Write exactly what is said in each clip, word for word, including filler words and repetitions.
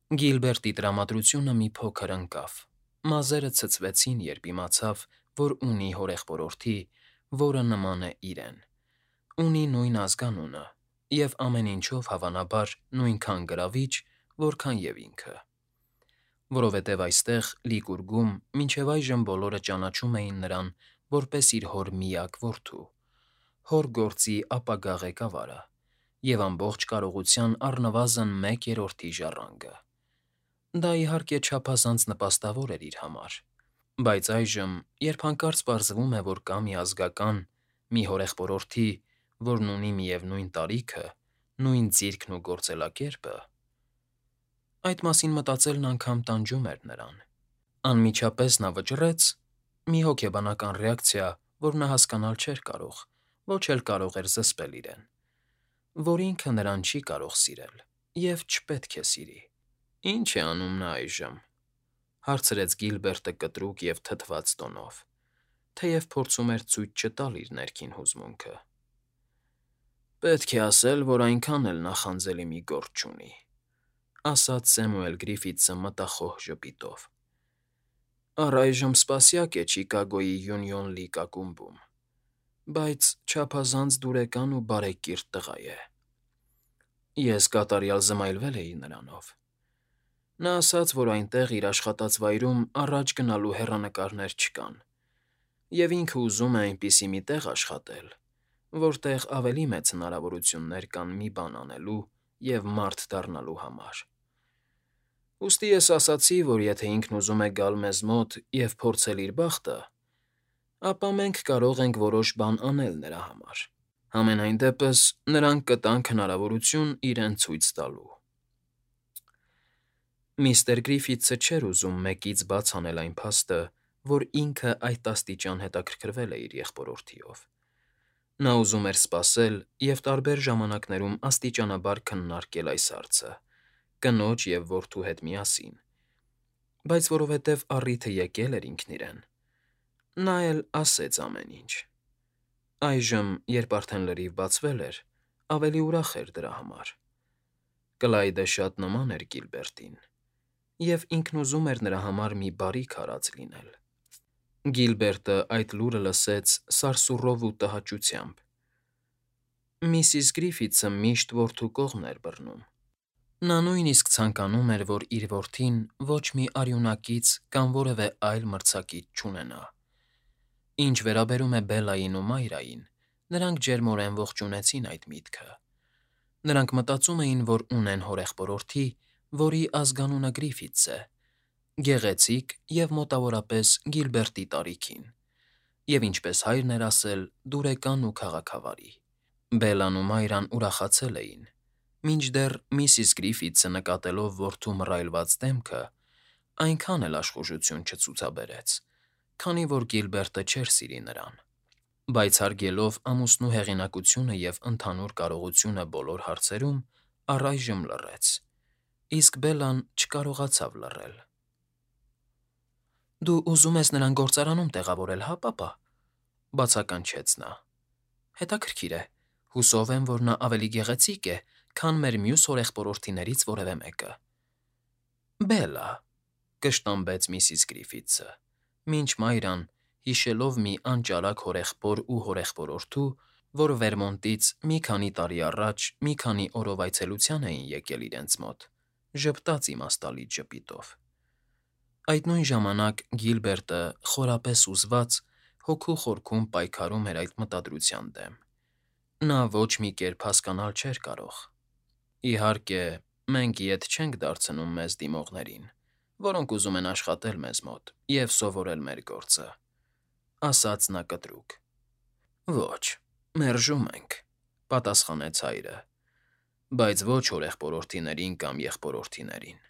Գիլբերտի տրամադրությունը մի փոքր ընկավ։ Մազերը ցցվեցին, երբ իմացավ, որ ունի հորեղբորորդի, որը նման է իրեն, ունի նույն ազգանունը և ամեն ինչով, հավանաբար, նույնքան գրավիչ, որքան և ինքը։ Որովհետև այստեղ, Լիկուրգում, մինչև այժմ բոլորը ճանաչում էին նրան որպես իր հոր միակ որդու, հոր գործի ապագա ղեկավարը և ամբողջ կարողության առնվազն մեկ երրորդի ժառանգը։ Դա, իհարկե, չափազանց նպաստավոր էր իր համար, բայց այժմ, երբ հանկարծ պարզվում է, որ կա մի ազգական, մի հորեղբորորդի, որն ունի միևնույն տարիքը, նույն ձիրքն ու գործելակերպը… Այդ մասին մտածելն անգամ տանջում էր նրան։ Անմիջապես նա վճռեց… Մի հոգեբանական ռեակցիա, որ նա հասկանալ չէր կարող, ոչ էլ կարող էր զսպել իրեն, որ ինքը նրան չի կարող սիրել և չպետք է սիրի։ «Ի՞նչ է անում նա այժմ,֊ հարցրեց Գիլբերտը կտրուկ և թթված տոնով, թեև փորձում էր ցույց չտալ իր ներքին հուզմունքը։ «Պետք է ասել, որ այնքան էլ նախանձելի մի գործ չունի,֊ ասաց Սեմուել Գրիֆիթսը մտախոհ ժպիտով։֊ Առայժմ սպասյակ է Չիկագոյի Յունիոն Լիգ ակումբում, բայց չափազանց դուրեկան ու բարեկիրթ տղա է։ Ես կատարյալ զմայլվել էի նրանով։ Նա ասաց, որ այնտեղ, իր աշխատած վայրում, առաջ գնալու հեռանկարներ չկան, և ինքը ուզում է այնպիսի մի տեղ աշխատել, որտեղ ավելի մեծ հնարավորություններ կան մի բան անելու և մարդ դառնալու համար։ Ուստի ես ասացի, որ եթե ինքն ուզում է գալ մեզ մոտ և փորձել իր բախտը, ապա մենք կարող ենք որոշ բան անել նրա համար, համենայն դեպս նրանք կտանք հնարավորություն իրեն ցույց տալու»։ Միստր Գրիֆիթսը չէր ուզում մեկից բաց անել այն փաստը, որ ինքը այդ աստիճան հետաքրքրվել է իր եղբորորդիով։ Նա ուզում էր սպասել և տարբեր ժամանակներում աստիճանաբար քննարկել այս հարցը՝ կնոջ և որդու հետ միասին, բայց որովհետև առիթը եկել էր ինքն իրեն, նա էլ ասեց ամեն ինչ։ Այժմ, երբ արդեն լրիվ բացվել էր, ավելի ուրախ էր դրա համար։ Կլայդը շատ նման էր Գիլբերտին, և ինքն ուզում էր նրա համար մի բարիք արած լինել։ Գիլբերտը այդ լուրը լսեց սարսուռով ու տհաճությամբ։ Միսիս Գրիֆիթսը միշտ որդու կողմն էր բռնում։ Նա նույնիսկ ցանկանում էր, որ իր որդին ոչ մի արյունակից կամ որևէ այլ մրցակից չունենա։ Ինչ վերաբերում է Բելլային ու Մայրային, նրանք ջերմորեն ողջունեցին այդ միտքը։ Նրանք մտածում էին, որ ունեն հորեղբորորդի, որի ազգանունը Գրիֆիթս է, գեղեցիկ և մոտավորապես Գիլբերտի տարիքին, և, ինչպես հայրն էր ասել, դուրեկան ու քաղաքավարի։ Բելլան ու Մայրան ուրախացել էին, մինչդեռ միսիս Գրիֆիթսը, նկատելով որդու մռայլված դեմքը, այնքան էլ աշխուժություն չցուցաբերեց, քանի որ Գիլբերտը չէր սիրի նրան, բայց հարգելով ամուսնու հեղինակությունը և ընդհանուր կարողությունը բոլոր հարցերում, առայժմ լռեց, իսկ Բելլան չկարողացավ լռել։ «Դու ուզում ես նրան գործարանում տեղավորել, հա, պապա,֊ բացականչեց նա։֊ Հետաքրքիր է, հուսով եմ, որ նա ավելի գեղեցիկ է, քան մեր մյուս հորեղբորորդիներից որևէ մեկը»։ «Բելլա,֊ կշտամբեց միսիս Գրիֆիթսը, մինչ Մայրան, հիշելով մի անճարակ հորեղբոր ու հորեղբորորդու, որ Վերմոնտից մի քանի տարի առաջ մի քանի օրով այցելության էին եկել իրենց մոտ, ժպտաց իմաստալից ժպիտով։ Այդ նույն ժամանակ Գիլբերտը, խորապես հուզված, հոգու խորքում պայքարում էր այդ մտադրության դեմ։ Նա ոչ մի կերպ հասկանալ չէր կարող։ «Իհարկե, մենք ետ չենք դարձնում մեզ դիմողներին, որոնք ուզում են աշխատել մեզ մոտ և սովորել մեր գործը,֊ ասաց նա կտրուկ։ «Ոչ, մերժում ենք,֊ պատասխանեց հայրը,֊ բայց ոչ հորեղբորորդիներին կամ եղբորորդիներին։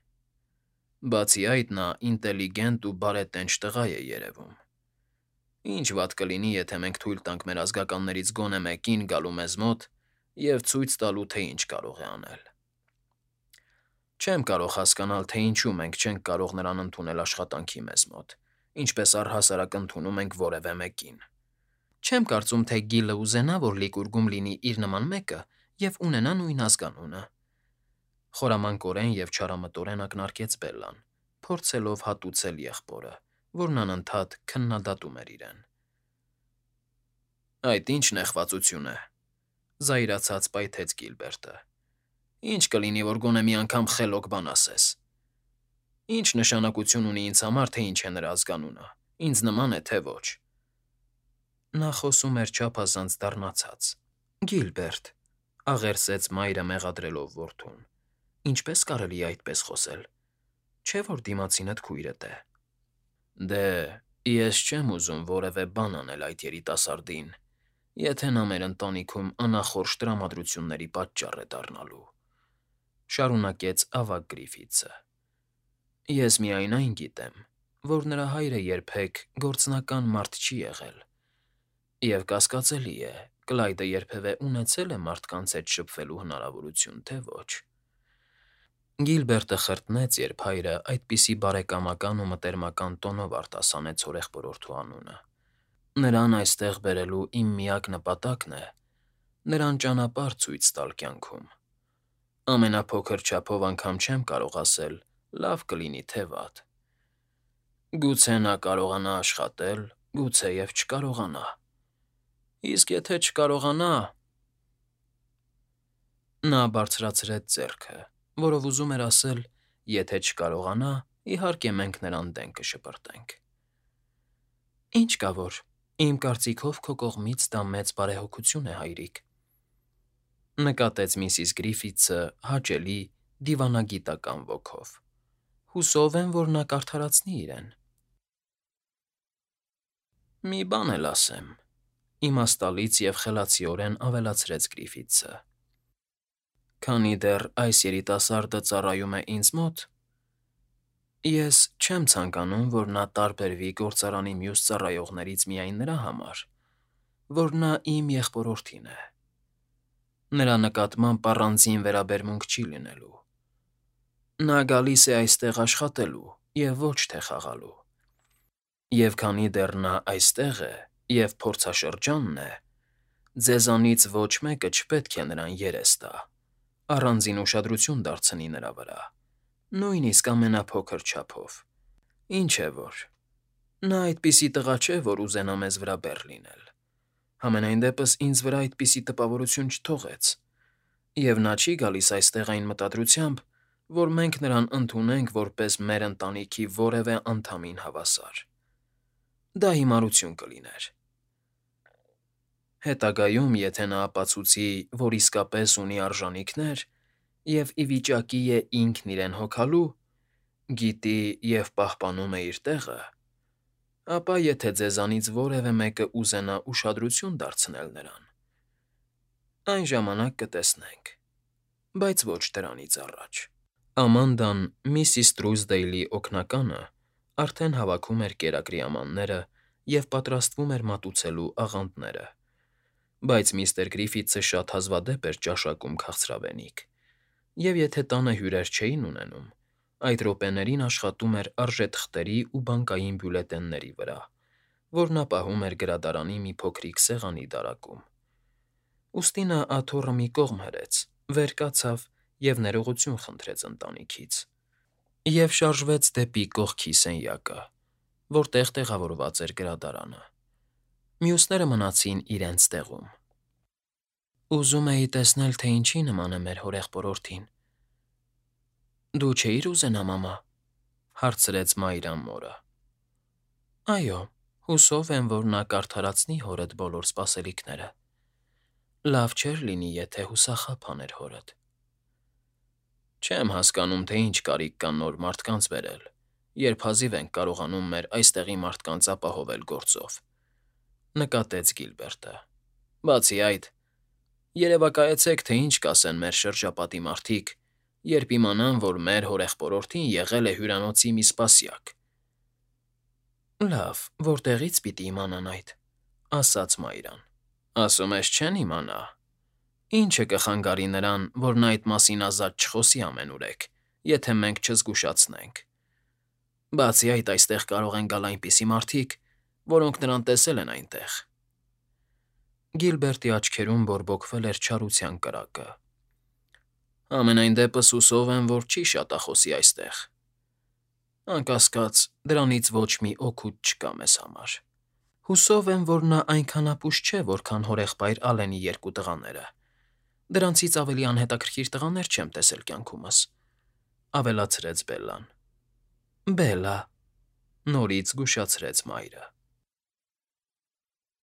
Բացի այդ, նա ինտելիգենտ ու բարետենչ տղա է երևում։ Ինչ վատ կլինի, եթե մենք թույլ տանք մեր ազգականներից գոնե մեկին գալու մեզ մոտ և ցույց տալու, թե ինչ կարող է անել։ Չեմ կարող հասկանալ, թե ինչու մենք չենք կարող նրան ընդունել աշխատանքի մեզ մոտ, ինչպես առհասարակ ընդունում ենք որևէ մեկին։ Չեմ կարծում, թե Գիլը ուզենա, որ Լիկուրգում լինի իր նման մեկը և ունենա նույն ազգանունը,֊ Խորամանկորեն և չարամտորեն ակնարկեց Բելլան, փորձելով հատուցել եղբորը, որն անընդհատ քննադատում էր իրեն։ ֊ Այդ ի՞նչ նեղվածություն է,֊ զայրացած պայթեց Գիլբերտը։ ֊ Ի՞նչ կլինի, որ գոնե մի անգամ խելոք բան ասես։ Ի՞նչ նշանակություն ունի ինձ համար, թե ինչ է նրա ազգանունը, ինձ նման է, թե ոչ… Նա խոսում էր չափազանց դառնացած։ ֊ Գիլբերտ,֊ աղերսեց մայրը մեղադրելով որդուն,֊ ինչպե՞ս կարելի է այդպես խոսել… Չէ՞ որ դիմացինդ քույրդ է։ ֊ Դե, ես չեմ ուզում որևէ բան անել այդ երիտասարդին, եթե նա մեր ընտանիքում անախորժ տրամադրությունների պատճառ է դառնալու,֊ շարունակեց ավագ Գրիֆիթսը։ ֊ Ես միայն այն գիտեմ, որ նրա հայրը երբեք գործնական մարդ չի եղել, և կասկածելի է, Կլայդը երբևէ ունեցե՞լ է մարդկանց հետ շփվելու հնարավորություն, թե ոչ… Գիլբերտը խրտնեց, երբ հայրը այդպիսի բարեկամական ու մտերմական տոնով արտասանեց հորեղբորորդու անունը։ Նրան այստեղ բերելու իմ միակ նպատակն է նրան ճանապարհ ցույց տալ կյանքում։ Ամենափոքր չափով անգամ չեմ կարող ասել՝ լավ կլինի, թե վատ։ Գուցե նա կարողանա աշխատել, գուցեև չկարողանա։ Իսկ եթե չկարողանա… Նա բարձրացրեց ձեռքը, որով ուզում էր ասել. «Եթե չկարողանա, իհարկե մենք նրան դեն կշպրտենք»։ ֊ Ինչ կա որ, իմ կարծիքով քո կողմից դա մեծ բարեհոգություն է, հայրիկ,֊ նկատեց միսիս Գրիֆիթսը հաճելի, դիվանագիտական ոգով։֊ Հուսով եմ, որ նա կարդարացնի իրեն։ ֊ Մի բան էլ ասեմ,֊ իմաստալից և խելացիորեն ավելացրեց Գրիֆիթսը։ Քանի դեռ այս երիտասարդը ծառայում է ինձ մոտ, ես չեմ ցանկանում, որ նա տարբերվի գործարանի մյուս ծառայողներից միայն նրա համար, որ նա իմ եղբորորդին է։ Նրա նկատմամբ առանձին վերաբերմունք չի լինելու։ Նա գալիս է այստեղ աշխատելու և ոչ թե խաղալու։ Եվ քանի դեռ նա այստեղ է և փորձաշրջանն է, ձեզանից ոչ մեկը չպետք է նրան երես տա, առանձին ուշադրություն դարձնի նրա վրա, նույնիսկ ամենափոքր չափով։ Ինչ է որ… Նա այդպիսի տղա չէ, որ ուզենա մեզ վրա բեռ լինել, համենայն դեպս ինձ վրա այդպիսի տպավորություն չթողեց, և նա չի գալիս այստեղ այն մտադրությամբ, որ մենք նրան ընդունենք որպես մեր ընտանիքի որևէ անդամին հավասար։ Դա հիմարություն կլիներ։ Հետագայում, եթե նա ապացուցի, որ իսկապես ունի արժանիքներ և ի վիճակի է ինքն իրեն հոգալու, գիտի և պահպանում է իր տեղը, ապա եթե ձեզանից որևէ մեկը ուզենա ուշադրություն դարձնել նրան, այն ժամանակ կտեսնենք, բայց ոչ դրանից առաջ… Ամանդան, միսիս Թրուզդեյլի օգնականը, արդեն հավաքում էր կերակրի ամանները և պատրաստվում էր մատուցելու աղանդերը, բայց միստր Գրիֆիթսը շատ հազվադեպ էր ճաշակում քաղցրավենիք, և եթե տանը հյուրեր չէին ունենում, այդ րոպեներին աշխատում էր արժեթղթերի ու բանկային բյուլետենների վրա, որ նա պահում էր գրադարանի մի փոքրիկ սեղանի դարակում։ Ուստի նա աթոռը մի կողմ հրեց, վեր կացավ և ներողություն խնդրեց ընտանիքից և շարժվեց դեպի կողքի սենյակը, որտեղ տեղավորված էր գրադարանը։ Մյուսները մնացին իրենց տեղում։ ֊ Ուզում էի տեսնել, թե ինչի նման է մեր հորեղբորորդին։ ֊ Դու չէիր ուզենա, մամա,֊ հարցրեց Մայրան մորը։ ֊ Այո, հուսով եմ, որ նա կարդարացնի հորդ բոլոր սպասելիքները… Լավ չէր լինի, եթե հուսախաբ աներ հորդ։ ֊ Չեմ հասկանում, թե ինչ կարիք կա նոր մարդկանց բերել, երբ հազիվ ենք կարողանում մեր այստեղի մարդկանց ապահովել գործով,֊ նկատեց Գիլբերտը։ ֊ Բացի այդ, երևակայեցեք, թե ինչ կասեն մեր շրջապատի մարդիկ, երբ իմանան, որ մեր հորեղբորորդին եղել է հյուրանոցի մի սպասյակ։ ֊ Լավ, որտեղի՞ց պիտի իմանան այդ,֊ ասաց Մայրան։ ֊ Ասում ես չեն իմանա… Ի՞նչը կխանգարի նրան, որ նա այդ մասին ազատ չխոսի ամենուրեք, եթե մենք չզգուշացնենք… Բացի այդ, այստեղ կարող են գալ այնպիսի մարդիկ, որոնք նրան տեսել են այնտեղ… Գիլբերտի աչքերում բորբոքվել էր չարության կրակը։ Համենայն դեպս հուսով եմ, որ չի շատախոսի այստեղ։ Անկասկած, դրանից ոչ մի օգուտ չկա մեզ համար։ Հուսով եմ, որ նա այնքան ապուշ չէ, որքան հորեղբայր Ալենի երկու տղաները։ Դրանցից ավելի անհետաքրքիր տղաներ չեմ տեսել կյանքումս,֊ ավելացրեց Բելլան։ ֊ Բելլա,֊ նորից զգուշացրեց մայրը։